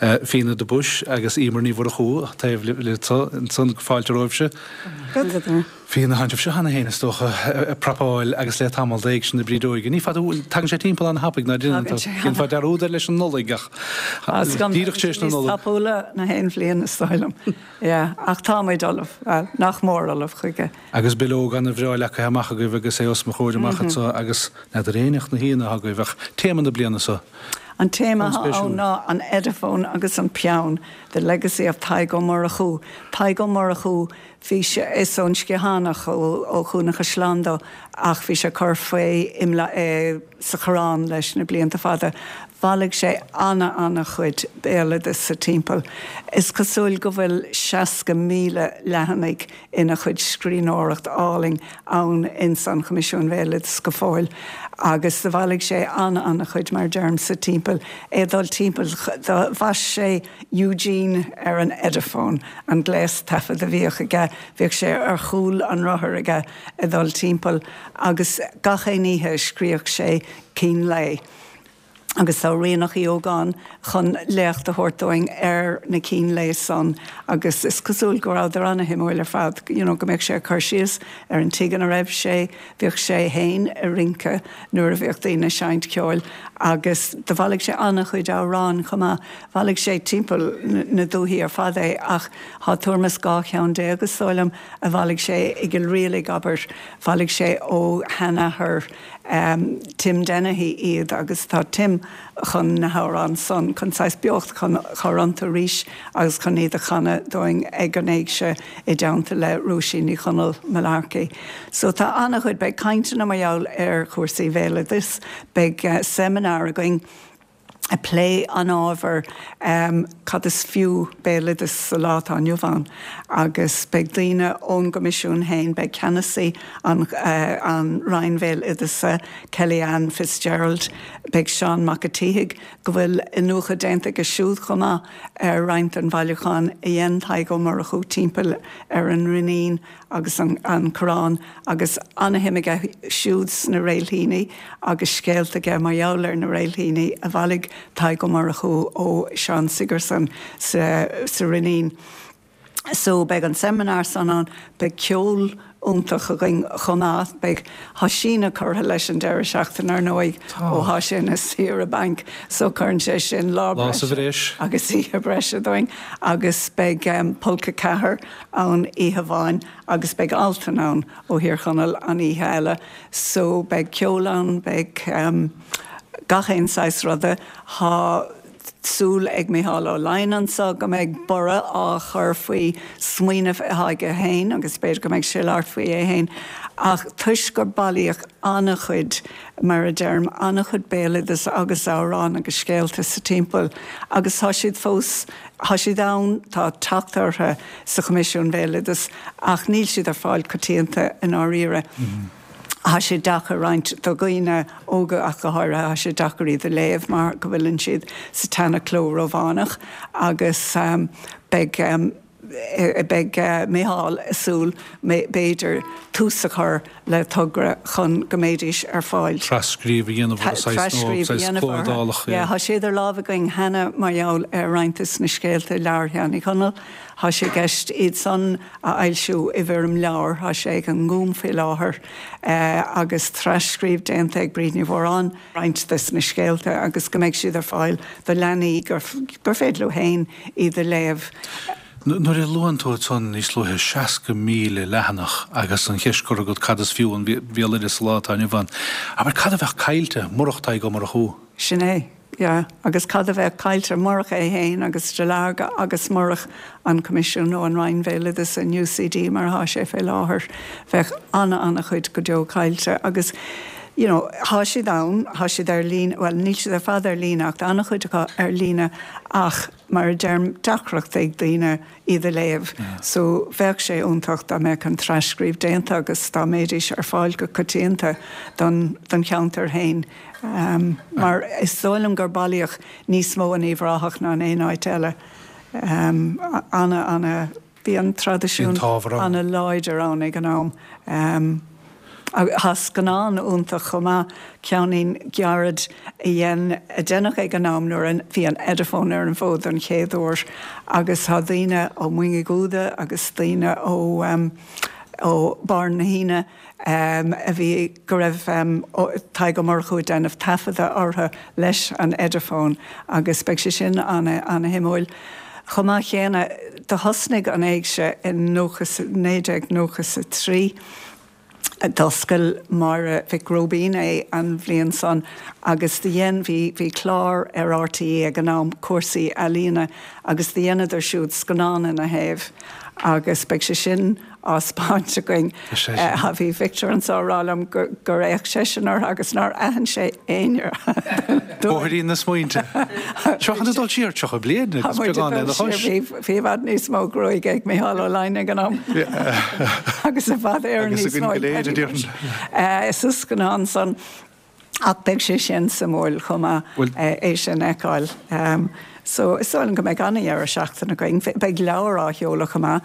Fíona de Buis agus Emer Ní Mhurchú taobh libh ansan. Fáilte romhaibhse. Fíona, tánn sibh cheana féin is dócha ag prapáil agus le tamall d'Éigse na Brídeoige. Ní fada uainn, tagann sé timpeall an-thapaidh ná déanann tú. Déanfá dearúd air leis an Nollaig ach díreach tar éis na Nollag. Níos tapúla ná haon bhliain is dóigh liom. Yeah, ach tá muid ullamh, bhuel, nach mór ullamh chuige. Agus bileog ana-bhreá leagtha amach agaibh agus é os mo chomhair amach anso agus n'fheadar Aonach na hAoine atá agaibh ach téama na bliana so. An téama atá ann ná an Ediphone agus an peann, The Legacy of Tadhg Ó Murchú. Tadhg Ó Murchú, Bhí sé, is ón Sciathánach, ó Chuan an Chaisleáin dó ach bhí sé ag cur faoi i sa Choireán leis na blianta fada. Bhailigh sé ana ana chuid béaloideas sa timpeall. Is cosúil go bhfuil 60,000 leathanaigh ina chuid scríbhneoireacht álainn ann ins an Choimisiún Bhéaloideas go fóill agus do bhailigh sé ana ana chuid mar a deirim sa timpeall, é ag dul timpeall, do bhaist sé Eugene ar an Ediphone. an gléas taifead a bhíodh aige, bhíodh sé ar chúl an rothair aige ag dul timpeall agus gach aon oíche scríobhadh sé cín lae agus tá Ríonach Uí Ógáin chun léacht a thabhairt dúinn ar na cinn lae san agus is cosúil go rabhadar ana-shuimiúil ar fad, you know go mbeadh sé ag cur síos ar an tigh ina raibh sé, bhíodh sé fhéin ag rince nuair a bhíodh daoine ag seinnt ceoil agus do bhailigh sé ana-chuid amhráin chomh maith. Bhailigh sé timpeall na dúthaí ar fad é ach thá tuairim is 12 cheann is dóigh liom a bhailigh sé i gCill Rialaig, abair. Bhailigh sé ó sheanathair Tim Dennehy iad agus tá Tim chun na hamhráin san, chun saghas beocht a chur iontu arís agus chun iad a chanadh dúinn ag an Éigse i dteannta le Róisín Ní Chonaill Mullarkey. So tá an-chuid, beidh cainteanna mar gheall ar chúrsaí bhéaloidis, beidh seimineár againn, ag plé an ábhair cad is fiú béaloideas sa lá atá inniu ann agus beidh daoine ón gCoimisiún féin, beidh ceannasaí an an Roinn Bhéaloideasa, Kelly-Anne Fitzgerald, beidh Seán Mac a' tSíthigh, go bhfuil iniúchadh déanta aige siúd chomh maith ar roinnt den bhailiúchán a dhein Tadhg Ó Murchú timpeall ar an Rinnín agus an Coireán agus ana-shuim aige siúd sna réilthíní agus scéalta aige mar gheall ar na réilthíní a bhailigh Tadhg Ó Murchú ó Seán Sigerson sa Rinnín. So beidh an seimineár san ann, beidh ceol iontach againn chomh maith, beidh, thá síneadh curtha leis an deireadh seachtaine ar ndóigh ó thá sé ina saoire bainc so cuireann sé sin lá breise agus oíche breise dúinn agus beidh Polca 4 ann oíche amháin agus beidh Altan ann ó Thír Chonaill an oíche eile so beidh ceol ann, beidh gach aon saghas ruda. Thá súil ag Micheál Ó Laighin anso go mbeidh borradh á chur faoi smaoineamh athá aige féin agus b'fhéidir go mbeidh sé ag labhairt faoi é féin ach toisc gur bailíodh an-chuid, mar a deirim, an-chuid béaloideas agus amhrán agus scéalta sa timpeall agus tá siad fós Tá siad ann, tá teacht orthu sa Choimisiún Bhéaloideas ach níl siad ar fáil coitianta i ndáiríre. Tá sé deacair roinnt do dhaoine óga ach go háirithe, tá sé deacair iad a léamh mar go bhfuileann siad sa tseana-chló Rómhánach agus beidh beidh Micheál ag súil b'fhéidir tús a chur le togra chun go mbeidís ar fáil. Trascríobh a dhéanamh orthu, saghas nó saghas cló iodálach. Yeah, tá sé idir lámha againn cheana mar gheall ar roinnt de na scéalta i leabhar Sheáin Uí Chonaill. Tá sé i gceist iad san a fhoilsiú i bhfoirm leabhair. Tá sé ag an nGúm faoi láthair agus trascríobh déanta ag Bríd Ní Mhóráin roinnt de na scéalta agus go mbeidh siad ar fáil do leanaí gur féidir leo féin iad a léamh. Nuair a luann tú ansan níos luaithe 60,000 leathanach agus an cheist curtha agat cad is fiú an bhéaloideas sa lá atá inniu ann, abair cad a bheadh caillte murach Tadhg Ó Murchú? Sin é, yeah. Agus cad a bheadh caillte murach é fhéin agus de Lairge agus murach an Coimisiún nó an Roinn Bhéaloideasa, an UCD mar athá sé fé láthair, bheadh ana-ana-chuid go deo caillte agus you know thá siad ann, thá siad ar líne, bhuel níl siad ar fad ar líne ach tá ana-chuid acu ar líne ach, mar a deirim, deacracht ag daoine iad a léamh so bheadh sé iontach dá mbeadh an trascríobh déanta agus dá mbeidís ar fáil go coitianta don don cheantar féin mar is dóigh liom gur bailíodh níos mó in Uíbh Ráthach ná in aon áit eile. Ana, ana, bhí an traidisiún ana láidir ann ag an am. Tá scannán iontach chomh maith, ceainnín gairid a dhein, a deineadh ag an am nuair a bhí an Ediphone ar an bhfód don chéad uair agus tá daoine ó Mhoing Uí Dhúda agus daoine ó ó Barr na hAoine a bhí, go raibh Tadhg Ó Murchú ag déanamh taifeadadh orthu leis an Ediphone agus beidh sé sin ana-shuimiúil. Chomh maith chéanna, do thosnaigh an Éigse i 1993. D'oscail Máire Mhic Róibín é an bhliain san agus do dhein, bhí, bhí clár ar RTÉ ag an am, cúrsaí ealaíona, agus do dheineadar siúd scannán ina thaobh agus beidh sé sin á 'speáint againn. Bhí Victor anso ag rá liom gur fhéach seisean orthu agus nár aithin sé éinne. Bóithrín na smaointe. Seo chun dul siar 30 bliain agus beagán lena chois. Bhí i bhfad níos mó gruaige ag Micheál Ó Laighneigh ag an am. Agus i bhfad Éireann níos mó ag Paddy Bushe. Sa scannán san. Ach beidh sé sin suimiúil chomh maith é sin a fheiceáil. So is dóigh liom go mbeidh an-dheireadh seachtaine againn. Beidh leabhar á sheoladh chomh maith,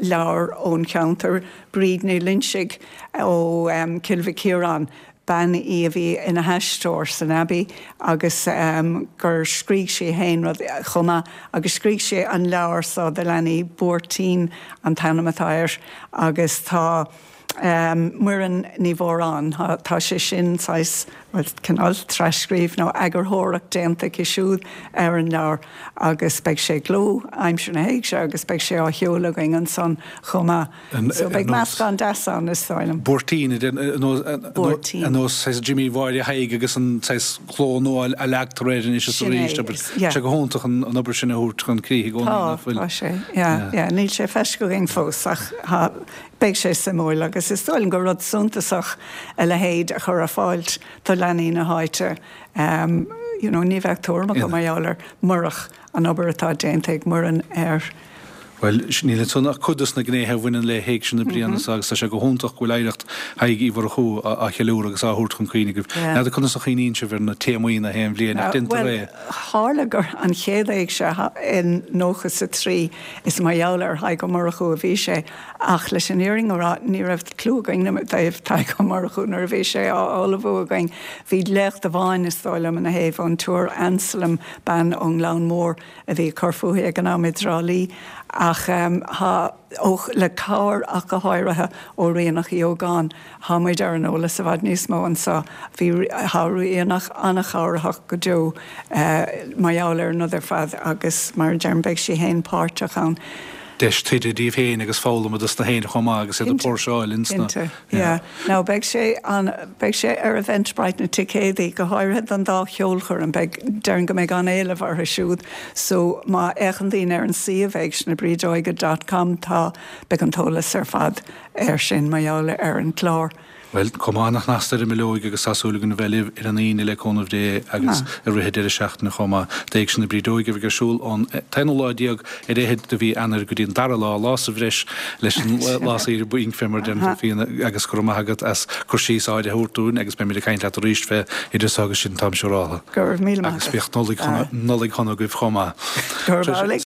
leabhar ón cheantar, Bríd Ní Loinsigh ó Cill Mhic Ciaráin, bean í a bhí ina haisteoir san Abbey agus gur scrígh sí fhéin rud chomh maith agus scrígh sí an leabhar so do leanaí, Buairtín an t-ainm atá air agus tá. Muireann Ní Mhóráin, tá sé sin saghas, bhuel, cineál tras-scríobh nó eagarthóireacht déanta aici siúd ar an leabhar agus beidh sé i gcló aimsir na hÉigse agus beidh sé á sheoladh againn ansan chomh maith. So beidh meascán deas ann, is dóigh liom. Buairtín, ar nós saghas Jimí Mháire Thaidhg agus an saghas cló nua a leagtar air anois is arís. Tá sé go hiontach an obair sin a thabhairt chun críche i gcónaí, nach bhfuil? Tá, tá sé, yeah, yeah. Níl sé feiscithe againn fós ach tá. Beidh sé suimiúil agus is dóigh liom gur rud suntasach a leithéid a chur ar fáilt do leanaí na háite. You know, ní bheadh tuairim acu mar gheall air murach an obair atá déanta ag Muireann air. Bhuel, níl ansan ach cuid dos na gnéithe a bhaineann le hÉigse na bliana seo agus tá sé go hiontach go bhfuil oidhreacht Thaidhg Uí Mhurchú á cheiliúradh agus á thabhairt chun cuimhne agaibh. N'fheadar conas a chuimhníonn sibh ar na téamaí na haon bhliain ach déantar é. Tharla gur an chéad Éigse in 93, is mar gheall ar Thadhg Ó Murchú a bhí sé, ach leis an fhírinne a rá, ní raibh cliú againn i dtaobh Tadhg Ó Murchú nuair a bhí sé á ullmhú againn. Bhí léacht amháin, is dóigh liom, ina thaobh ón tSiúr Anselm, bean ón nGleann Mór a bhí ag cur fúithi ag an am i dTrá Lí, ach tá, ó, le cabhair ach go háirithe ó Ríonach Uí Ógáin, Tá muid ar an eolas i bhfad níos mó anso. Bhí, tá Ríonach an-chabhraitheach go deo mar gheall ar an rud ar fad agus mar a deirim beidh sí fhéin páirteach ann. Deis taighde díobh féin agus foghlama dos na héinne chomh maith agus iad ag póirseáil ins na. Cinnte, yeah. Now beidh sé an, beidh sé ar Eventbrite na ticéadaí, go háirithe don dá cheolchoirm, beidh, déarfainn go mbeidh an-éileamh orthu siúd so má fhéachann daoine ar an suíomh éigsenabrídeoige dot com tá, beidh an t-eolas ar fad air sin mar gheall ar an gclár. Bhuel, cuma ana-shnasta ar an mbileoig agus tá súil againn a bheith libh ar an Aoine le cúnamh Dé agus i rith an deireadh seachtaine chomh maith. D'Éigse na Brídeoige a bheidh ar siúl ón t-aonú lá déag ar fhichead de mhí Eanáir go dtí an dara lá, lá sa bhreis leis an lá saoire bainc fé mar a deireann tú Fíona agus go raibh maith agat as cur síos áirithe a thabhairt dúinn agus beimid ag caint leat arís fé idir so agus sin táim siúráltha. Go raibh míle maith agat. Agus bíodh Nollaig shona, Nollaig shona agaibh chomh maith. Go raibh amhlaidh.